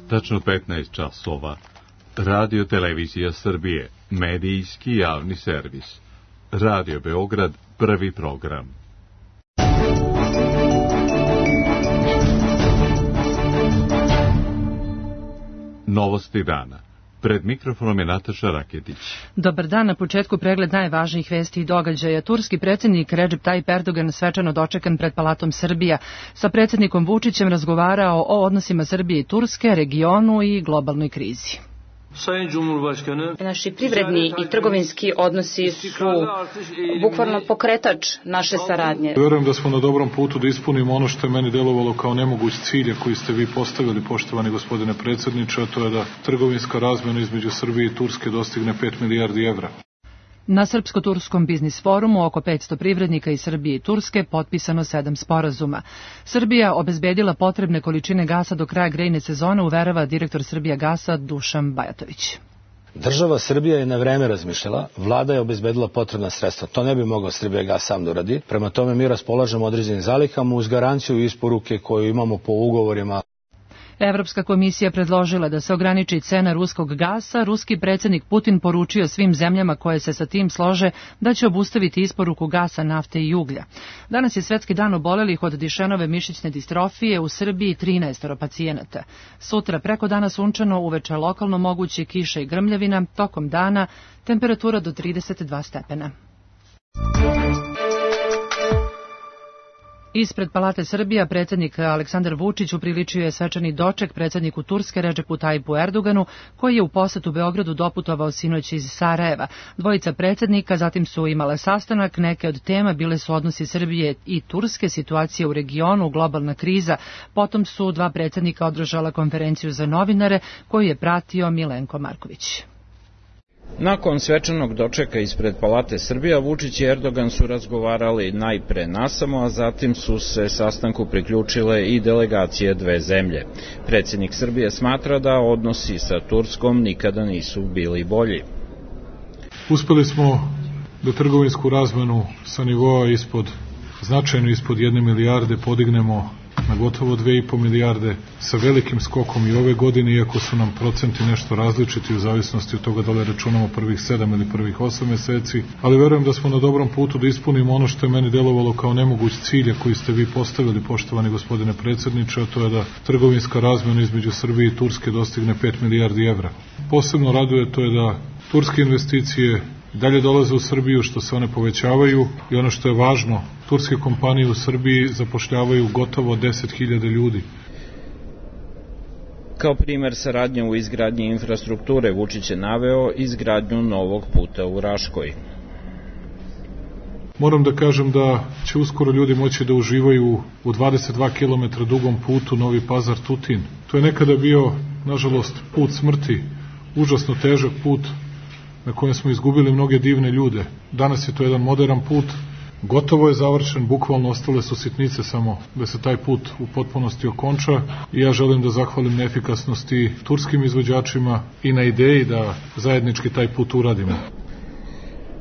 tačno 15 časova. Radio Televizija Srbije, medijski javni servis. Radio Beograd, prvi program. Novosti dana. Pred mikrofonom je Nataša Raketić. Dobar dan, na početku pregled najvažnijih vesti i događaja. Turski predsjednik Recep Tayyip Erdogan svečano dočekan pred Palatom Srbija. Sa predsjednikom Vučićem razgovarao o odnosima Srbije i Turske, regionu i globalnoj krizi. Naši privredni i trgovinski odnosi su bukvalno pokretač naše saradnje. Verujem da smo na dobrom putu da ispunimo ono što je meni delovalo kao nemoguć cilj koji ste vi postavili, poštovani gospodine predsjedniče, a to je da trgovinska razmjena između Srbije i Turske dostigne 5 milijardi evra. Na Srpsko-turskom biznis forumu oko 500 privrednika iz Srbije i Turske potpisano 7 sporazuma. Srbija obezbedila potrebne količine gasa do kraja grejne sezone, uverava direktor Srbijagasa Dušan Bajatović. Država Srbija je na vreme razmišljala, vlada je obezbedila potrebna sredstva. To ne bi mogao Srbijagas sam da uradi. Prema tome mi raspolažemo određenim zalihama uz garanciju isporuke koju imamo po ugovorima. Evropska komisija predložila da se ograniči cena ruskog gasa. Ruski predsjednik Putin poručio svim zemljama koje se sa tim slože da će obustaviti isporuku gasa, nafte i uglja. Danas je Svetski dan obolelih od Dišenove mišićne distrofije, u Srbiji 13 pacijenata. Sutra preko dana sunčano, uveče lokalno moguće kiša i grmljavina, tokom dana temperatura do 32 stepena. Ispred Palate Srbija predsjednik Aleksandar Vučić upriličio je svečani doček predsjedniku Turske Recepu Tayyipu Erdoganu, koji je u posetu Beogradu doputovao sinoć iz Sarajeva. Dvojica predsjednika zatim su imale sastanak, neke od tema bile su odnosi Srbije i Turske, situacija u regionu, globalna kriza. Potom su dva predsjednika održala konferenciju za novinare koju je pratio Milenko Marković. Nakon svečanog dočeka ispred Palate Srbija, Vučić i Erdogan su razgovarali najpre nasamo, a zatim su se sastanku priključile i delegacije dve zemlje. Predsjednik Srbije smatra da odnosi sa Turskom nikada nisu bili bolji. Uspeli smo da trgovinsku razmenu sa nivoa značajno ispod 1 milijarde podignemo na gotovo 2,5 milijarde sa velikim skokom i ove godine, iako su nam procenti nešto različiti u zavisnosti od toga da li računamo prvih 7 ili prvih 8 meseci, ali verujem da smo na dobrom putu da ispunimo ono što je meni delovalo kao nemoguć cilj koji ste vi postavili, poštovani gospodine predsjedniče, a to je da trgovinska razmjena između Srbije i Turske dostigne 5 milijardi evra. Posebno raduje to je da turske investicije dalje dolaze u Srbiju, što se one povećavaju i ono što je važno, turske kompanije u Srbiji zapošljavaju gotovo 10.000 ljudi. Kao primer saradnje u izgradnji infrastrukture Vučić je naveo izgradnju novog puta u Raškoj. Moram da kažem da će uskoro ljudi moći da uživaju u 22 km dugom putu Novi Pazar-Tutin. To je nekada bio, nažalost, put smrti, užasno težak put na kojem smo izgubili mnoge divne ljude. Danas je to jedan modern put, gotovo je završen, bukvalno ostale su sitnice samo da se taj put u potpunosti okonča i ja želim da zahvalim na efikasnosti turskim izvođačima i na ideji da zajednički taj put uradimo.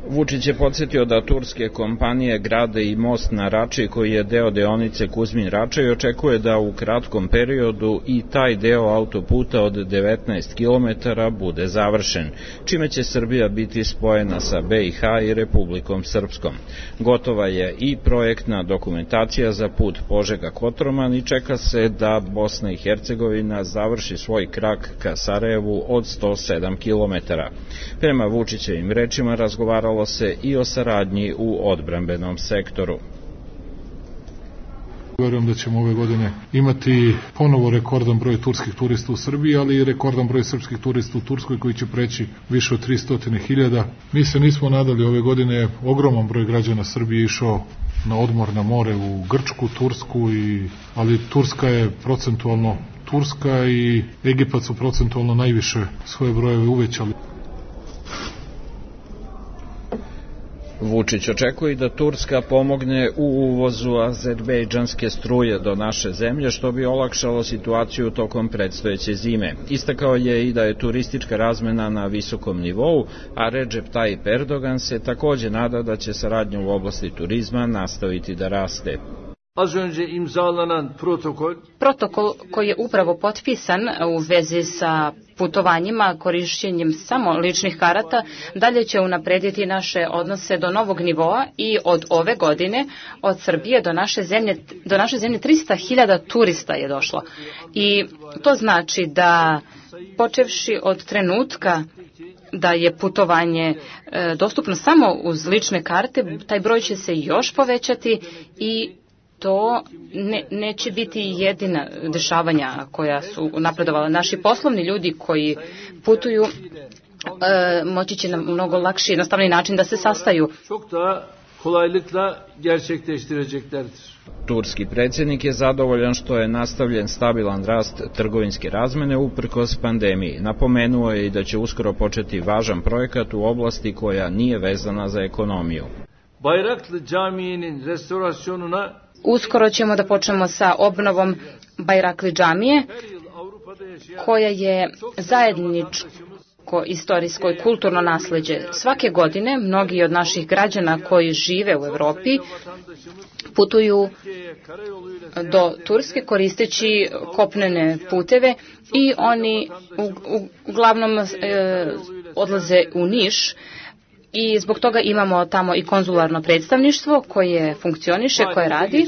Vučić je podsjetio da turske kompanije grade i most na Rači koji je deo deonice Kuzmin-Rača i očekuje da u kratkom periodu i taj deo autoputa od 19 km bude završen, čime će Srbija biti spojena sa BiH i Republikom Srpskom. Gotova je i projektna dokumentacija za put Požega-Kotroman i čeka se da Bosna i Hercegovina završi svoj krak ka Sarajevu od 107 km. Prema Vučićevim rečima razgovaralo se i o saradnji u odbrambenom sektoru. Verujem da ćemo ove godine imati ponovo rekordan broj turskih turista u Srbiji, ali i rekordan broj srpskih turista u Turskoj koji će preći više od 300.000. Mi se nismo nadali, ove godine ogroman broj građana Srbije išao na odmor na more u Grčku, Tursku, ali Turska je procentualno Turska i Egipat su procentualno najviše svoje brojeve uvećali. Vučić očekuje da Turska pomogne u uvozu azerbejdžanske struje do naše zemlje, što bi olakšalo situaciju tokom predstojeće zime. Istakao je i da je turistička razmena na visokom nivou, a Recep Tayyip Erdogan se takođe nada da će saradnja u oblasti turizma nastaviti da raste. Protokol koji je upravo potpisan u vezi sa putovanjima, korišćenjem samo ličnih karata, dalje će unaprediti naše odnose do novog nivoa i od ove godine od Srbije do naše zemlje 300.000 turista je došlo. I to znači da počevši od trenutka da je putovanje dostupno samo uz lične karte, taj broj će se još povećati i to neće biti jedina dešavanja koja su napredovala. Naši poslovni ljudi koji putuju moći će na mnogo lakši, jednostavni način da se sastaju. Turski predsjednik je zadovoljan što je nastavljen stabilan rast trgovinske razmene uprkos pandemiji. Napomenuo je i da će uskoro početi važan projekat u oblasti koja nije vezana za ekonomiju. Bayraklı Camii'nin restorasyonuna Uskoro ćemo da počnemo sa obnovom Bayraklı džamije, koja je zajedničko istorijsko i kulturno nasleđe. Svake godine mnogi od naših građana koji žive u Evropi putuju do Turske koristeći kopnene puteve i oni uglavnom odlaze u Niš. I zbog toga imamo tamo i konzularno predstavništvo koje funkcioniše, koje radi.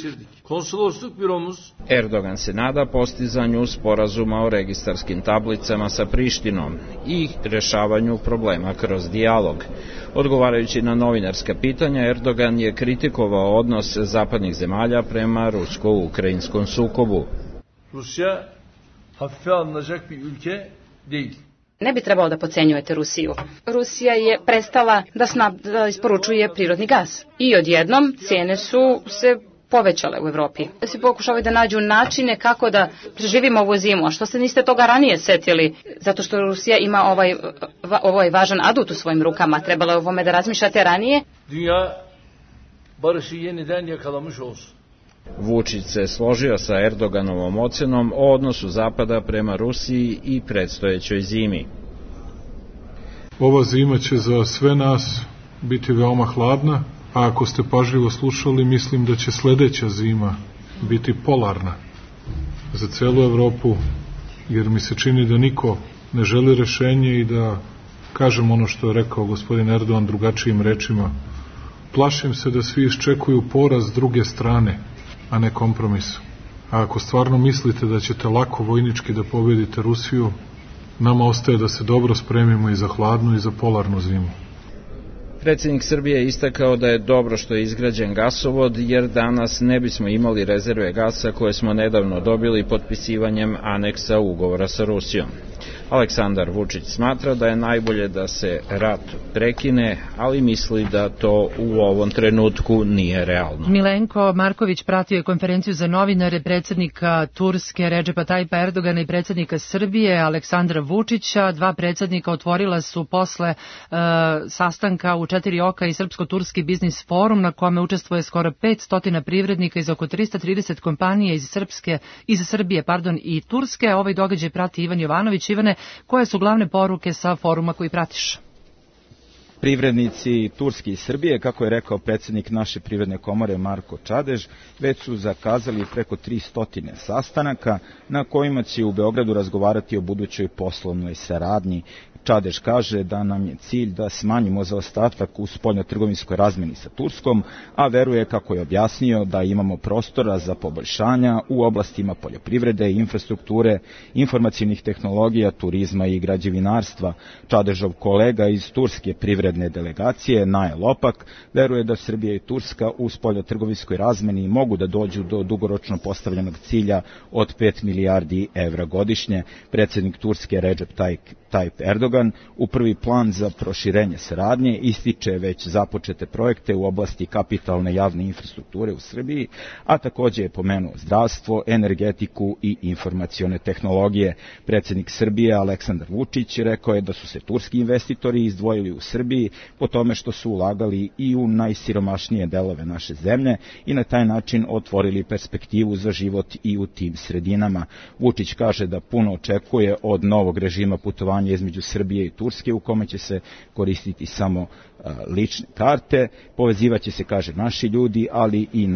Erdogan se nada postizanju sporazuma o registarskim tablicama sa Prištinom i rešavanju problema kroz dijalog. Odgovarajući na novinarska pitanja, Erdogan je kritikovao odnos zapadnih zemalja prema rusko-ukrajinskom sukobu. Rusya hafife alınacak bir ülke değil. Ne bi trebalo da podcenjujete Rusiju. Rusija je prestala da isporučuje prirodni gas. I odjednom cijene su se povećale u Evropi. Se pokušavaju da nađu načine kako da preživimo ovu zimu. A što se niste toga ranije setili? Zato što Rusija ima ovaj važan adut u svojim rukama. Trebalo je o ovome da razmišljate ranije. Dünya barışı yeniden yakalamış olsun. Vučić se složio sa Erdoganovom ocenom o odnosu Zapada prema Rusiji i predstojećoj zimi. Ova zima će za sve nas biti veoma hladna, a ako ste pažljivo slušali, mislim da će sledeća zima biti polarna za celu Evropu, jer mi se čini da niko ne želi rešenje i da kažem ono što je rekao gospodin Erdogan drugačijim rečima. Plašim se da svi iščekuju poraz s druge strane, a ne kompromis. A ako stvarno mislite da ćete lako vojnički da pobedite Rusiju, nama ostaje da se dobro spremimo i za hladnu i za polarnu zimu. Predsjednik Srbije je istakao da je dobro što je izgrađen gasovod, jer danas ne bismo imali rezerve gasa koje smo nedavno dobili potpisivanjem aneksa ugovora sa Rusijom. Aleksandar Vučić smatra da je najbolje da se rat prekine, ali misli da to u ovom trenutku nije realno. Milenko Marković pratio je konferenciju za novinare predsjednika Turske Redžepa Tajipa Erdogana i predsjednika Srbije Aleksandra Vučića. Dva predsjednika otvorila su posle sastanka u 4 oka i Srpsko-Turski biznis forum na kome učestvuje skoro 500 privrednika iz oko 330 kompanija iz Srbije i Turske. Ovaj događaj prati Ivan Jovanović. Ivane, koje su glavne poruke sa foruma koji pratiš? Privrednici Turske i Srbije, kako je rekao predsjednik naše privredne komore Marko Čadež, već su zakazali preko 300 sastanaka na kojima će u Beogradu razgovarati o budućoj poslovnoj saradnji. Čadež kaže da nam je cilj da smanjimo zaostatak u spoljnotrgovinskoj razmeni sa Turskom, a veruje, kako je objasnio, da imamo prostora za poboljšanja u oblastima poljoprivrede, infrastrukture, informacijnih tehnologija, turizma i građevinarstva. Čadežov kolega iz turske privredne delegacije, Naje Lopak, veruje da Srbija i Turska u spoljnotrgovinskoj razmeni mogu da dođu do dugoročno postavljenog cilja od 5 milijardi evra godišnje. Predsjednik Turske Redžep Tayyip Erdogan u prvi plan za proširenje saradnje ističe već započete projekte u oblasti kapitalne javne infrastrukture u Srbiji, a takođe je pomenuo zdravstvo, energetiku i informacione tehnologije. Predsjednik Srbije Aleksandar Vučić rekao je da su se turski investitori izdvojili u Srbiji istoriji po tome što su ulagali i u najsiromašnije delove naše zemlje i na taj način otvorili perspektivu za život i u tim sredinama. Vučić kaže da puno očekuje od novog režima putovanja između Srbije i Turske u kome će se koristiti samo lične karte, povezivaće se, kaže, naši ljudi, ali i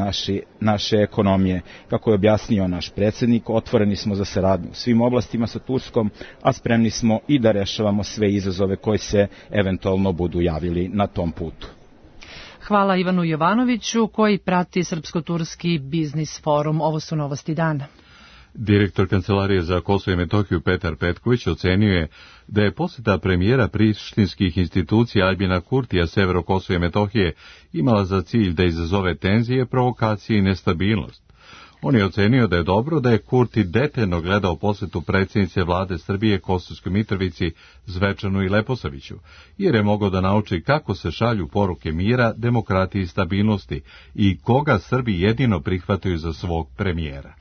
naše ekonomije. Kako je objasnio naš predsjednik, otvoreni smo za saradnju u svim oblastima sa Turskom, a spremni smo i da rešavamo sve izazove koji se eventualno budu javili na tom putu. Hvala Ivanu Jovanoviću koji prati Srpsko-turski biznis forum. Ovo su novosti dana. Direktor Kancelarije za Kosovo i Metohiju Petar Petković ocenio je da je posjeta premijera prištinskih institucija Aljbina Kurtija severu Kosova i Metohije imala za cilj da izazove tenzije, provokacije i nestabilnost. On je ocenio da je dobro da je Kurti detaljno gledao posjetu predsjednice vlade Srbije Kosovskoj Mitrovici Zvečanu i Leposaviću, jer je mogao da nauči kako se šalju poruke mira, demokratije i stabilnosti i koga Srbi jedino prihvataju za svog premijera.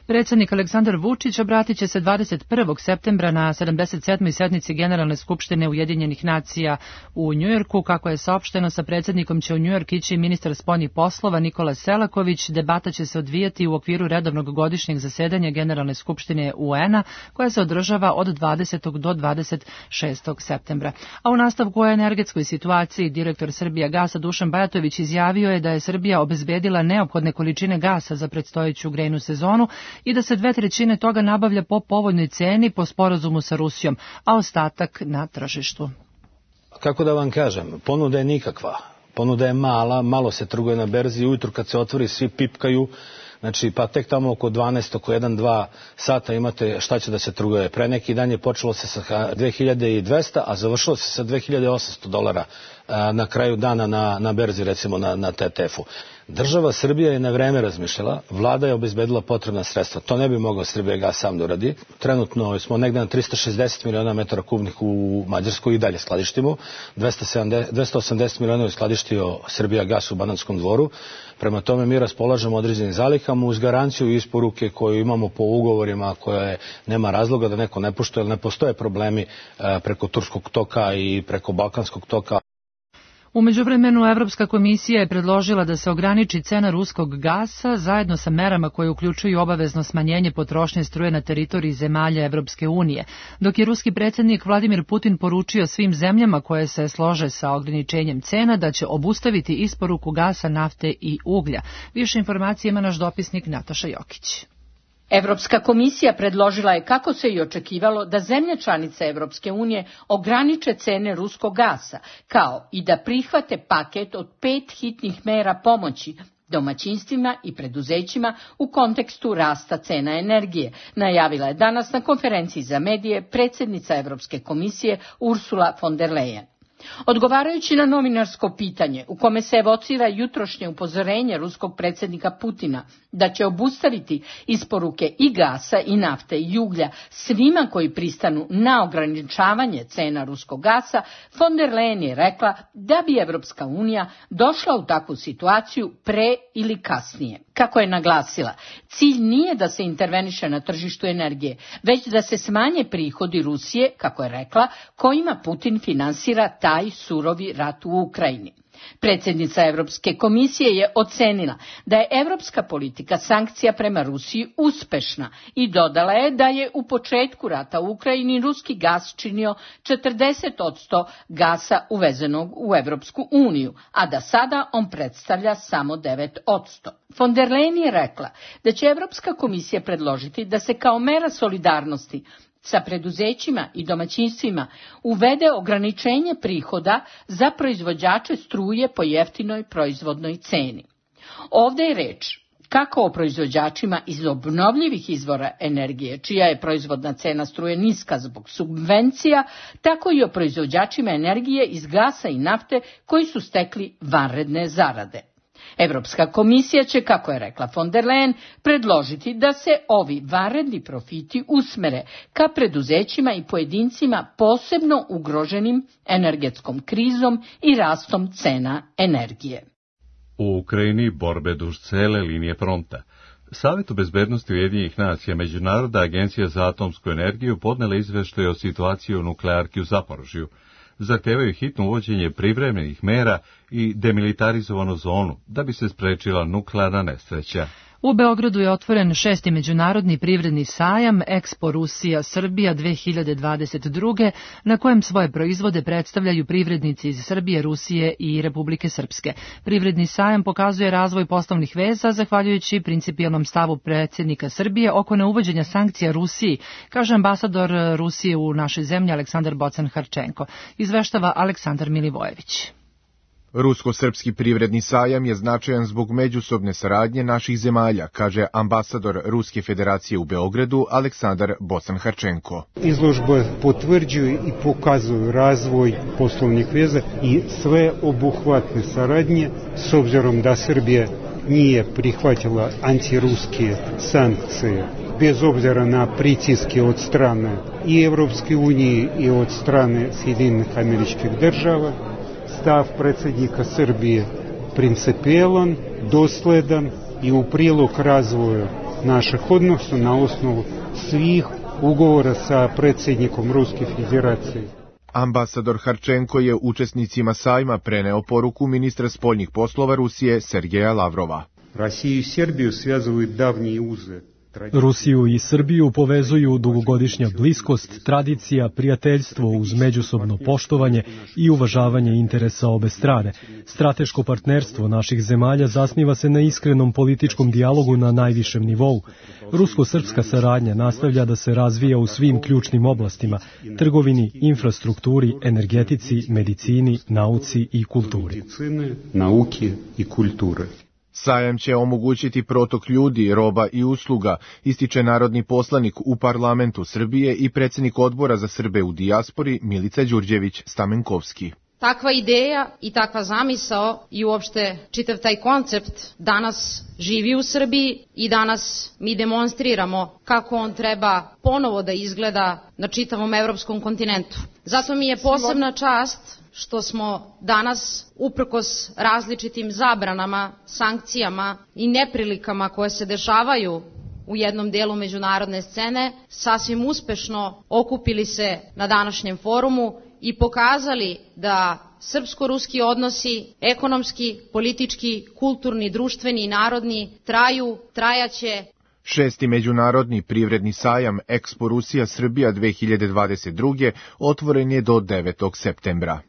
Predsjednik Aleksandar Vučić obratit će se 21. septembra na 77. sednici Generalne skupštine Ujedinjenih nacija u Njujorku. Kako je saopšteno, sa predsjednikom će u Njujork ići ministar spoljnih poslova Nikola Selaković. Debata će se odvijati u okviru redovnog godišnjeg zasedanja Generalne skupštine UN-a koja se održava od 20. do 26. septembra. A u nastavku o energetskoj situaciji direktor Srbijagasa Dušan Bajatović izjavio je da je Srbija obezbedila neophodne količine gasa za predstojeću grejnu sezonu i da se 2/3 toga nabavlja po povoljnoj ceni po sporazumu sa Rusijom, a ostatak na tržištu. Kako da vam kažem, ponuda je nikakva. Ponuda je mala, malo se trguje na berzi, ujutru kad se otvori svi pipkaju, znači pa tek tamo oko 12, oko 1-2 sata imate šta će da se trguje. Pre neki dan je počelo se sa 2200, a završilo se sa $2.800 na kraju dana na berzi, recimo na TTF-u. Država Srbija je na vreme razmišljala, vlada je obezbedila potrebna sredstva. To ne bi mogao Srbijagas sam da uradi. Trenutno smo negde na 360 miliona metara kubnih u Mađarskoj i dalje skladištimo. 280 miliona je skladištio Srbijagas u Banatskom Dvoru. Prema tome mi raspolažemo određenim zalihama uz garanciju isporuke koju imamo po ugovorima koje nema razloga da neko ne poštuje, jer ne postoje problemi preko Turskog toka i preko Balkanskog toka. U međuvremenu Evropska komisija je predložila da se ograniči cena ruskog gasa zajedno sa merama koje uključuju obavezno smanjenje potrošnje struje na teritoriji zemalja Evropske unije, dok je ruski predsjednik Vladimir Putin poručio svim zemljama koje se slože sa ograničenjem cena da će obustaviti isporuku gasa, nafte i uglja. Više informacije ima naš dopisnik Nataša Jokić. Evropska komisija predložila je, kako se i očekivalo, da zemlje članice Evropske unije ograniče cene ruskog gasa, kao i da prihvate paket od 5 hitnih mera pomoći domaćinstvima i preduzećima u kontekstu rasta cena energije, najavila je danas na konferenciji za medije predsjednica Evropske komisije Ursula von der Leyen. Odgovarajući na novinarsko pitanje u kome se evocira jutrošnje upozorenje ruskog predsjednika Putina da će obustaviti isporuke i gasa i nafte i uglja svima koji pristanu na ograničavanje cena ruskog gasa, von der Leyen je rekla da bi Evropska unija došla u takvu situaciju pre ili kasnije. Kako je naglasila, cilj nije da se interveniše na tržištu energije, već da se smanje prihodi Rusije, kako je rekla, kojima Putin finansira taj surovi rat u Ukrajini. Predsjednica Evropske komisije je ocenila da je evropska politika sankcija prema Rusiji uspešna i dodala je da je u početku rata u Ukrajini ruski gas činio 40% gasa uvezenog u Evropsku uniju, a da sada on predstavlja samo 9%. Von der Leyen je rekla da će Evropska komisija predložiti da se kao mera solidarnosti sa preduzećima i domaćinstvima uvede ograničenje prihoda za proizvođače struje po jeftinoj proizvodnoj ceni. Ovdje je reč kako o proizvođačima iz obnovljivih izvora energije, čija je proizvodna cena struje niska zbog subvencija, tako i o proizvođačima energije iz gasa i nafte koji su stekli vanredne zarade. Evropska komisija će, kako je rekla von der Leyen, predložiti da se ovi vanredni profiti usmere ka preduzećima i pojedincima posebno ugroženim energetskom krizom i rastom cena energije. U Ukrajini borbe duž cele linije fronta. Savetu bezbednosti Ujedinjenih nacija Međunarodna agencija za atomsku energiju podnela izveštaj o situaciji u nuklearki u Zaporožju. zahtevaju hitno uvođenje privremenih mera i demilitarizovanu zonu da bi se sprečila nuklearna nesreća. U Beogradu je otvoren 6. međunarodni privredni sajam Expo Rusija Srbija 2022. na kojem svoje proizvode predstavljaju privrednici iz Srbije, Rusije i Republike Srpske. Privredni sajam pokazuje razvoj poslovnih veza zahvaljujući principijelnom stavu predsjednika Srbije oko neuvođenja sankcija Rusiji, kaže ambasador Rusije u našoj zemlji Aleksandar Bocan-Harčenko. Izveštava Aleksandar Milivojević. Rusko-srpski privredni sajam je značajan zbog međusobne saradnje naših zemalja, kaže ambasador Ruske federacije u Beogradu Aleksandar Bocan-Harčenko. Izložbe potvrđuju i pokazuju razvoj poslovnih veza i sve obuhvatne saradnje, s obzirom da Srbija nije prihvatila antiruske sankcije, bez obzira na pritiske od strane i Evropske unije i od strane Sjedinjenih Američkih Država. Stav predsjednika Srbije principijelan, dosledan i u prilog razvoja naših odnosa na osnovu svih ugovora sa predsjednikom Ruske federacije. Ambasador Harčenko je učesnicima sajma preneo poruku ministra spoljnih poslova Rusije Sergeja Lavrova. Rusiju i Srbiju svezuju davnji uze. Rusiju i Srbiju povezuju dugogodišnja bliskost, tradicija, prijateljstvo uz međusobno poštovanje i uvažavanje interesa obe strane. Strateško partnerstvo naših zemalja zasniva se na iskrenom političkom dijalogu na najvišem nivou. Rusko-srpska saradnja nastavlja da se razvija u svim ključnim oblastima: trgovini, infrastrukturi, energetici, medicini, nauci i kulturi. Sajam će omogućiti protok ljudi, roba i usluga, ističe narodni poslanik u parlamentu Srbije i predsjednik odbora za Srbe u dijaspori Milica Đurđević-Stamenkovski. Takva ideja i takva zamisao i uopšte čitav taj koncept danas živi u Srbiji i danas mi demonstriramo kako on treba ponovo da izgleda na čitavom evropskom kontinentu. Zato mi je posebna čast što smo danas, uprkos različitim zabranama, sankcijama i neprilikama koje se dešavaju u jednom delu međunarodne scene, sasvim uspešno okupili se na današnjem forumu i pokazali da srpsko-ruski odnosi, ekonomski, politički, kulturni, društveni i narodni, trajaće. 6. međunarodni privredni sajam Expo Rusija Srbija 2022. otvoren je do 9. septembra.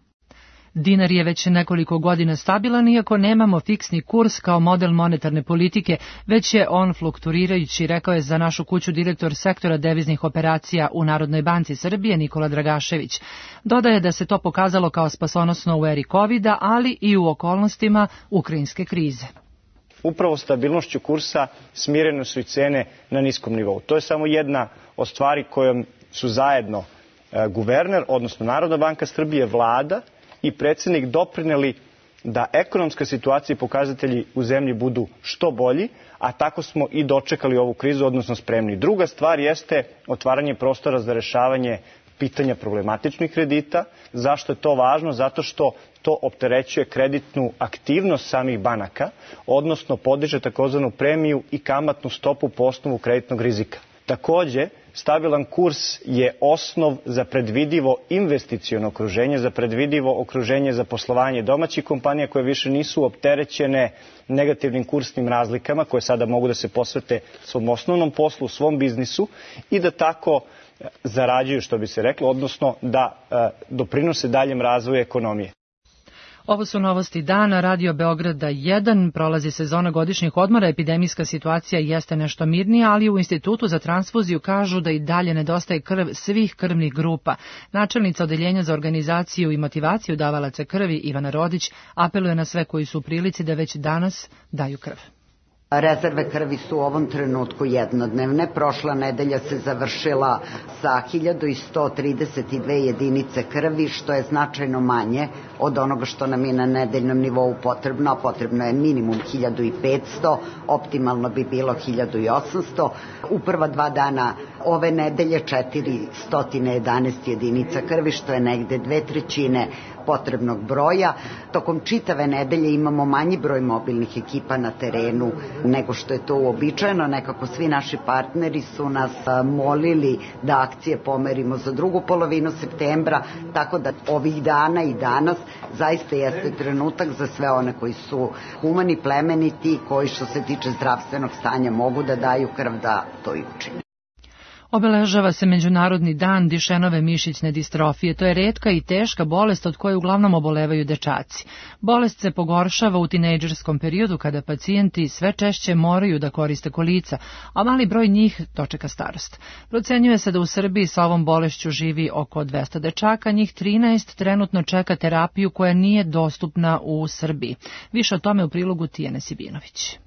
Dinar je već nekoliko godina stabilan, iako nemamo fiksni kurs kao model monetarne politike, već je on fluktuirajući, rekao je za našu kuću direktor sektora deviznih operacija u Narodnoj banci Srbije Nikola Dragašević. Dodaje da se to pokazalo kao spasonosno u eri COVID-a, ali i u okolnostima ukrajinske krize. Upravo stabilnošću kursa smirene su i cene na niskom nivou. To je samo jedna od stvari kojom su zajedno guverner, odnosno Narodna banka Srbije, vlada i predsjednik doprineli da ekonomska situacija i pokazatelji u zemlji budu što bolji, a tako smo i dočekali ovu krizu, odnosno spremni. Druga stvar jeste otvaranje prostora za rešavanje pitanja problematičnih kredita. Zašto je to važno? Zato što to opterećuje kreditnu aktivnost samih banaka, odnosno podiže takozvanu premiju i kamatnu stopu po osnovu kreditnog rizika. Takođe, stabilan kurs je osnov za predvidivo investiciono okruženje, za predvidivo okruženje za poslovanje domaćih kompanija koje više nisu opterećene negativnim kursnim razlikama, koje sada mogu da se posvete svom osnovnom poslu, svom biznisu i da tako zarađuju, što bi se reklo, odnosno da doprinose daljem razvoju ekonomije. Ovo su novosti dana, Radio Beograda 1, prolazi sezona godišnjih odmora, epidemijska situacija jeste nešto mirnija, ali u Institutu za transfuziju kažu da i dalje nedostaje krv svih krvnih grupa. Načelnica Odeljenja za organizaciju i motivaciju davalaca krvi Ivana Rodić apeluje na sve koji su u prilici da već danas daju krv. Rezerve krvi su u ovom trenutku jednodnevne. Prošla nedelja se završila sa 1132 jedinice krvi, što je značajno manje od onoga što nam je na nedeljnom nivou potrebno, a potrebno je minimum 1500, optimalno bi bilo 1800. U prva 2 dana ove nedelje 411 jedinica krvi, što je negde 2/3 potrebnog broja. Tokom čitave nedelje imamo manji broj mobilnih ekipa na terenu nego što je to uobičajeno. Nekako svi naši partneri su nas molili da akcije pomerimo za drugu polovinu septembra, tako da ovih dana i danas zaista jeste trenutak za sve one koji su humani, plemeniti, koji što se tiče zdravstvenog stanja mogu da daju krv da to i učine. Obeležava se Međunarodni dan Dišenove mišićne distrofije. To je retka i teška bolest od koje uglavnom obolevaju dečaci. Bolest se pogoršava u tinejdžerskom periodu kada pacijenti sve češće moraju da koriste kolica, a mali broj njih dočeka starost. Procenjuje se da u Srbiji sa ovom bolešću živi oko 200 dečaka, njih 13 trenutno čeka terapiju koja nije dostupna u Srbiji. Više o tome u prilogu Tijane Sibinović.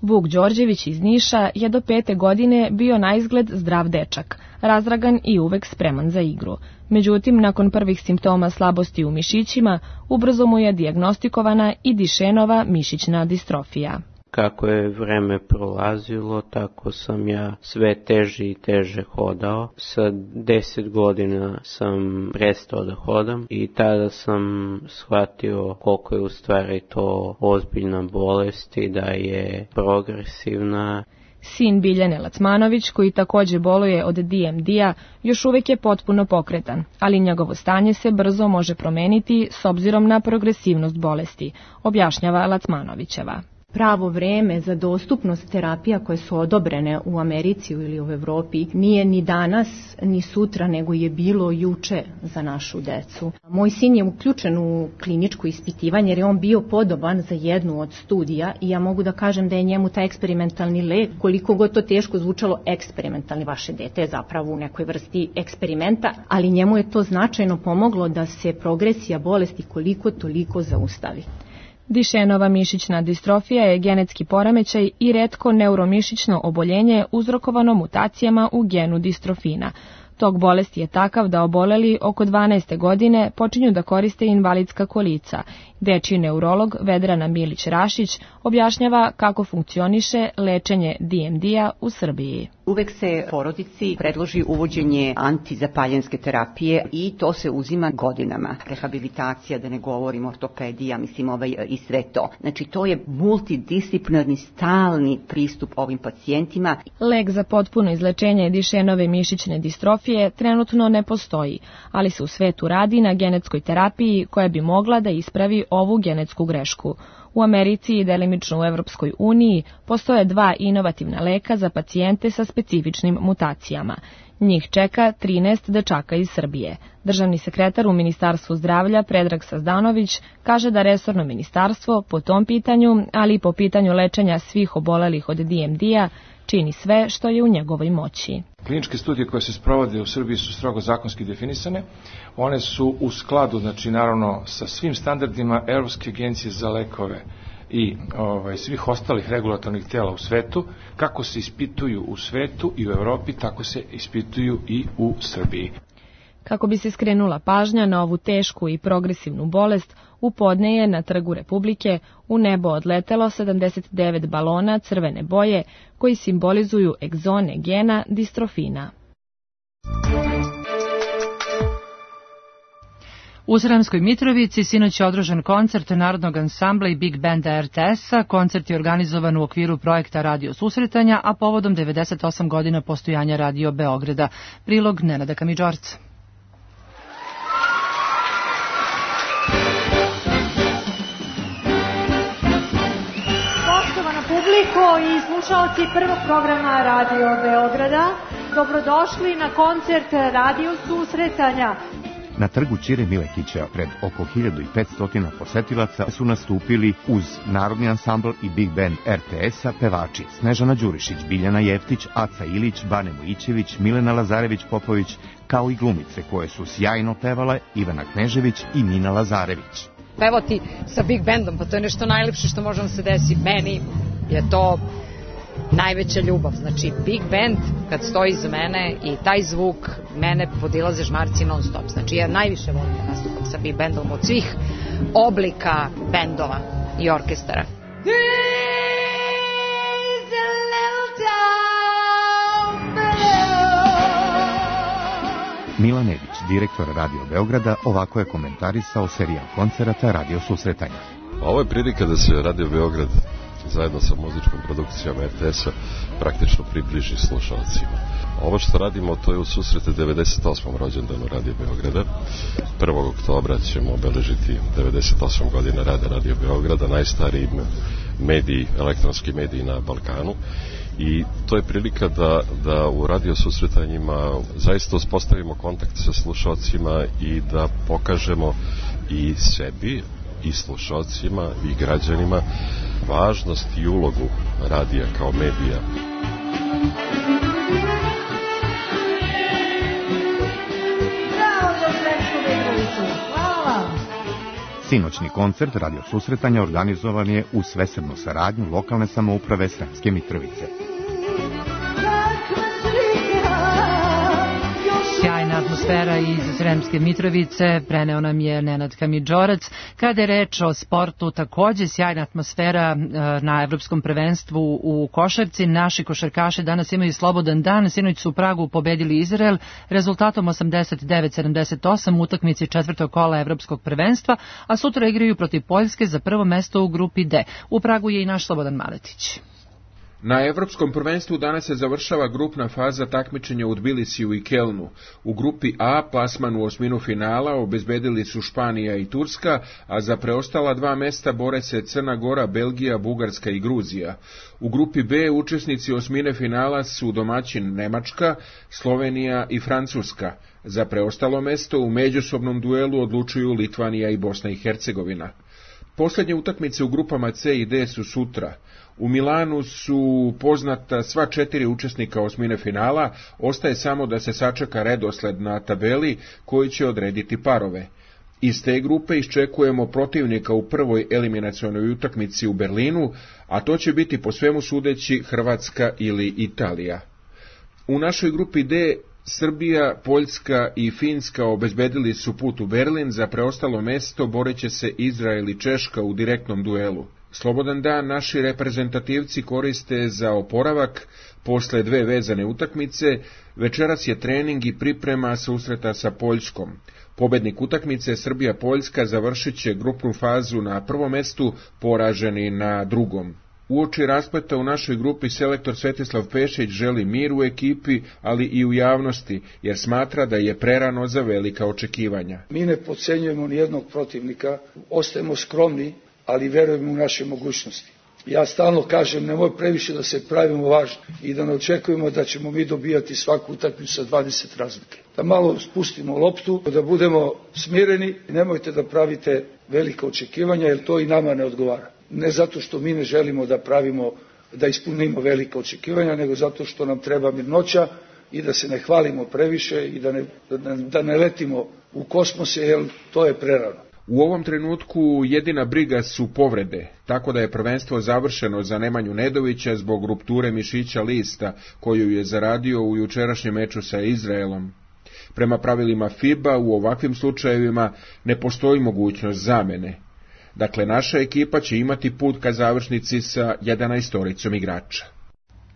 Vuk Đorđević iz Niša je do 5. godine bio naizgled zdrav dečak, razdragan i uvek spreman za igru. Međutim, nakon prvih simptoma slabosti u mišićima, ubrzo mu je dijagnostikovana i Dišenova mišićna distrofija. Kako je vreme prolazilo, tako sam ja sve teže i teže hodao. Sa 10 godina sam prestao da hodam i tada sam shvatio koliko je u stvari to ozbiljna bolest i da je progresivna. Sin Biljane Lacmanović, koji takođe boluje od DMD-a, još uvek je potpuno pokretan, ali njegovo stanje se brzo može promeniti s obzirom na progresivnost bolesti, objašnjava Lacmanovićeva. Pravo vreme za dostupnost terapija koje su odobrene u Americi ili u Evropi nije ni danas ni sutra, nego je bilo juče za našu decu. Moj sin je uključen u kliničko ispitivanje jer je on bio podoban za jednu od studija i ja mogu da kažem da je njemu taj eksperimentalni lek, koliko god to teško zvučalo, eksperimentalni, vaše dete je zapravo u nekoj vrsti eksperimenta, ali njemu je to značajno pomoglo da se progresija bolesti koliko toliko zaustavi. Dišenova mišićna distrofija je genetski poremećaj i retko neuromišićno oboljenje uzrokovano mutacijama u genu distrofina. Tok bolesti je takav da oboleli oko 12. godine počinju da koriste invalidska kolica. Dečiji neurolog Vedrana Milić-Rašić objašnjava kako funkcioniše lečenje DMD-a u Srbiji. Uvek se porodici predloži uvođenje antizapaljenske terapije i to se uzima godinama. Rehabilitacija, da ne govorim ortopedija, i sve to. Znači to je multidisciplinarni stalni pristup ovim pacijentima. Lek za potpuno izlečenje Dišenove mišićne distrofije trenutno ne postoji, ali se u svetu radi na genetskoj terapiji koja bi mogla da ispravi ovu genetsku grešku. U Americi i delimično u Evropskoj uniji postoje 2 inovativna leka za pacijente sa specifičnim mutacijama. Njih čeka 13 dečaka iz Srbije. Državni sekretar u Ministarstvu zdravlja Predrag Sazdanović kaže da resorno ministarstvo po tom pitanju, ali i po pitanju lečenja svih obolelih od DMD-a, čini sve što je u njegovoj moći. Kliničke studije koje se sprovode u Srbiji su strogo zakonski definisane. One su u skladu, znači naravno, sa svim standardima Evropske agencije za lekove i svih ostalih regulatornih tela u svetu. Kako se ispituju u svetu i u Evropi, tako se ispituju i u Srbiji. Kako bi se skrenula pažnja na ovu tešku i progresivnu bolest, u podne je na Trgu Republike u nebo odletelo 79 balona crvene boje koji simbolizuju egzone gena distrofina. U Sremskoj Mitrovici sinoć je održan koncert Narodnog ansambla i Big Banda RTS-a. Koncert je organizovan u okviru projekta Radio Susretanja, a povodom 98 godina postojanja Radio Beograda. Prilog Nenada Kamidžorca. Poštovana publiko i slušalci prvog programa Radio Beograda, dobrodošli na koncert Radio Susretanja. Na trgu Ćire Milekića pred oko 1500 posetilaca su nastupili uz Narodni ansambl i Big Band RTS-a pevači Snežana Đurišić, Biljana Jeftić, Aca Ilić, Bane Mojićević, Milena Lazarević-Popović, kao i glumice koje su sjajno pevale Ivana Knežević i Mina Lazarević. Pevati sa Big Bandom, pa to je nešto najlepše što može se desiti. Meni je to najveća ljubav. Znači, Big Band, kad stoji iza mene i taj zvuk, mene podilaze žmarci non stop. Znači, ja najviše volim da nastupam sa Big Bandom od svih oblika bendova i orkestara. Milan Edić, direktor Radio Beograda, ovako je komentarisao serijal koncerata Radio Susretanja. Ovo je prilika da se Radio Beograd zajedno sa muzičkom produkcijom RTS-a praktično približi slušalcima. Ovo što radimo, to je u susrete 98. rođendanu Radio Beograda. 1. oktobra ćemo obeležiti 98 godina rada Radio Beograda, najstariji mediji, elektronski mediji na Balkanu. I to je prilika da u radio susretanjima zaista uspostavimo kontakt sa slušalcima i da pokažemo i sebi, i slušalcima, i građanima važnost i ulogu radija kao medija. Sinoćni koncert radio susretanja organizovan je u svesrdnu saradnju lokalne samouprave Sremske Mitrovice. Sjajna atmosfera iz Sremske Mitrovice, preneo nam je Nenad Kamidžorac. Kada je reč o sportu, takođe sjajna atmosfera na Evropskom prvenstvu u košarci. Naši košarkaši danas imaju slobodan dan, sinoć su u Pragu pobedili Izrael rezultatom 89-78 u utakmici četvrtog kola Evropskog prvenstva, a sutra igraju protiv Poljske za prvo mesto u grupi D. U Pragu je i naš Slobodan Maletić. Na Evropskom prvenstvu danas se završava grupna faza takmičenja u Tbilisiju i Kelnu. U grupi A plasman u osminu finala obezbedili su Španija i Turska, a za preostala dva mesta bore se Crna Gora, Belgija, Bugarska i Gruzija. U grupi B učesnici osmine finala su domaćin Nemačka, Slovenija i Francuska. Za preostalo mesto u međusobnom duelu odlučuju Litvanija i Bosna i Hercegovina. Posljednje utakmice u grupama C i D su sutra. U Milanu su poznata sva 4 učesnika osmine finala, ostaje samo da se sačeka redosled na tabeli koji će odrediti parove. Iz te grupe iščekujemo protivnika u prvoj eliminacionoj utakmici u Berlinu, a to će biti po svemu sudeći Hrvatska ili Italija. U našoj grupi D Srbija, Poljska i Finska obezbedili su put u Berlin, za preostalo mesto boreće se Izrael i Češka u direktnom duelu. Slobodan dan naši reprezentativci koriste za oporavak posle dve vezane utakmice. Večeras je trening i priprema susreta sa Poljskom. Pobednik utakmice Srbija-Poljska završit će grupnu fazu na prvom mestu, poraženi na drugom. Uoči raspleta u našoj grupi selektor Svetislav Pešić želi mir u ekipi, ali i u javnosti, jer smatra da je prerano za velika očekivanja. Mi ne podcenjujemo nijednog protivnika, ostajemo skromni, ali verujemo u naše mogućnosti. Ja stalno kažem, nemoj previše da se pravimo važni i da ne očekujemo da ćemo mi dobijati svaku utakmicu sa 20 razlike. Da malo spustimo loptu, da budemo smireni i nemojte da pravite velika očekivanja, jer to i nama ne odgovara. Ne zato što mi ne želimo da ispunimo velika očekivanja, nego zato što nam treba mirnoća i da se ne hvalimo previše i da ne letimo u kosmose, jer to je prerano. U ovom trenutku jedina briga su povrede, tako da je prvenstvo završeno za Nemanju Nedovića zbog rupture mišića lista koju je zaradio u jučerašnjem meču sa Izraelom. Prema pravilima FIBA u ovakvim slučajevima ne postoji mogućnost zamene. Dakle, naša ekipa će imati put ka završnici sa 11 igrača.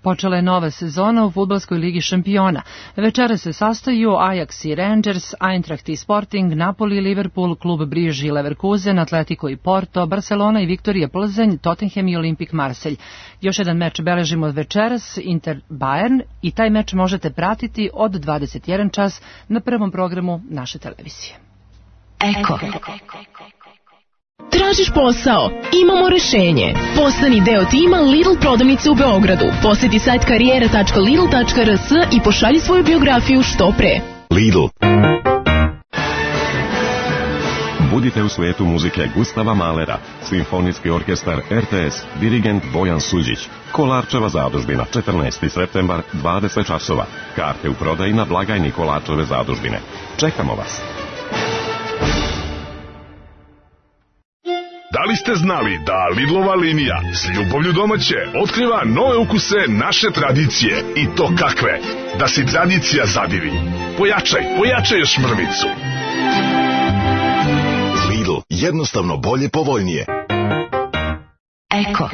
Počela je nova sezona u fudbalskoj ligi šampiona. Večera se sastaju Ajax i Rangers, Eintracht i Sporting, Napoli i Liverpool, klub Brugge i Leverkusen, Atletico i Porto, Barcelona i Viktorija Plzeň, Tottenham i Olimpik Marselj. Još jedan meč beležimo večeras, Inter Bayern, i taj meč možete pratiti od 21 čas na prvom programu naše televizije. Eko. Tražiš posao? Imamo rešenje. Postani deo tima Lidl prodavnice u Beogradu. Poseti sajt karijera.lidl.rs i pošalji svoju biografiju što pre. Lidl. Budite u svetu muzike Gustava Mahlera, Simfonijski orkestar RTS, dirigent Bojan Suđić. Kolarčeva zadužbina, 14. septembar, 20 časova. Karte u prodaji na blagajni Kolarčeve zadužbine. Čekamo vas. Da li ste znali da Lidlova linija s ljubavlju domaće otkriva nove ukuse naše tradicije, i to kakve? Da si tradicija zadivi. Pojačaj još mrvicu. Lidl, jednostavno bolje, povoljnije. Eko.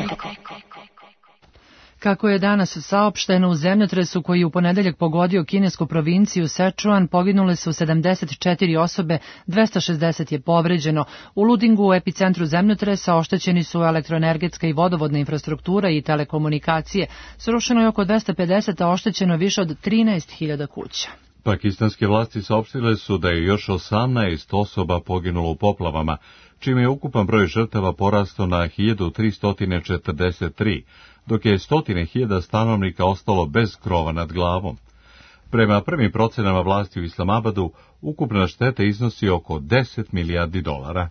Kako je danas saopšteno, u zemljotresu koji je u ponedeljak pogodio kinesku provinciju Sečuan poginule su 74 osobe, 260 je povređeno. U Ludingu, u epicentru zemljotresa, oštećeni su elektroenergetska i vodovodna infrastruktura i telekomunikacije. Srušeno je oko 250, a oštećeno više od 13.000 kuća. Pakistanske vlasti saopštile su da je još 18 osoba poginulo u poplavama, čime je ukupan broj žrtava porastao na 1343, dok je 100.000 stanovnika ostalo bez krova nad glavom. Prema prvim procenama vlasti u Islamabadu, ukupna šteta iznosi oko 10 milijardi dolara.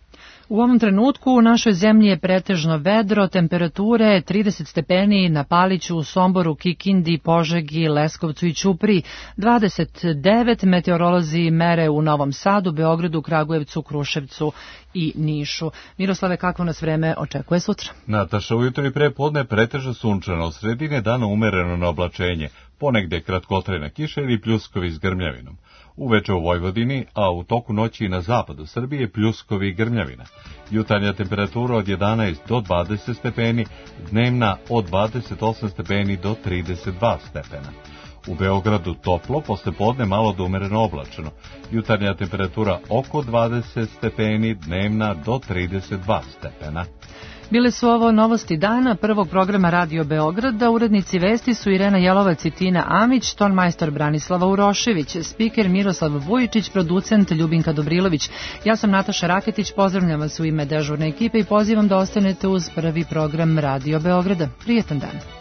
U ovom trenutku u našoj zemlji je pretežno vedro, temperature 30 stepeni na Paliću, u Somboru, Kikindi, Požegi, Leskovcu i Ćupriji, 29 meteorolozi mere u Novom Sadu, Beogradu, Kragujevcu, Kruševcu i Nišu. Miroslave, kakvo nas vreme očekuje sutra? Nataša, ujutro i prepodne pretežno sunčano, sredine dana umereno na oblačenje, ponegde kratkotrajna kiša ili pljuskovi s grmljavinom. Uveče u Vojvodini, a u toku noći i na zapadu Srbije pljuskovi i grmljavina. Jutarnja temperatura od 11 do 20 stepeni, dnevna od 28 stepeni do 32 stepena. U Beogradu toplo, posle podne malo do umereno oblačeno. Jutarnja temperatura oko 20 stepeni, dnevna do 32 stepena. Bile su ovo novosti dana prvog programa Radio Beograda. Urednici vesti su Irena Jelovac i Tina Amić, tonmajstor Branislava Urošević, spiker Miroslav Vujičić, producent Ljubinka Dobrilović. Ja sam Nataša Raketić, pozdravljam vas u ime dežurne ekipe i pozivam da ostanete uz prvi program Radio Beograda. Prijetan dan.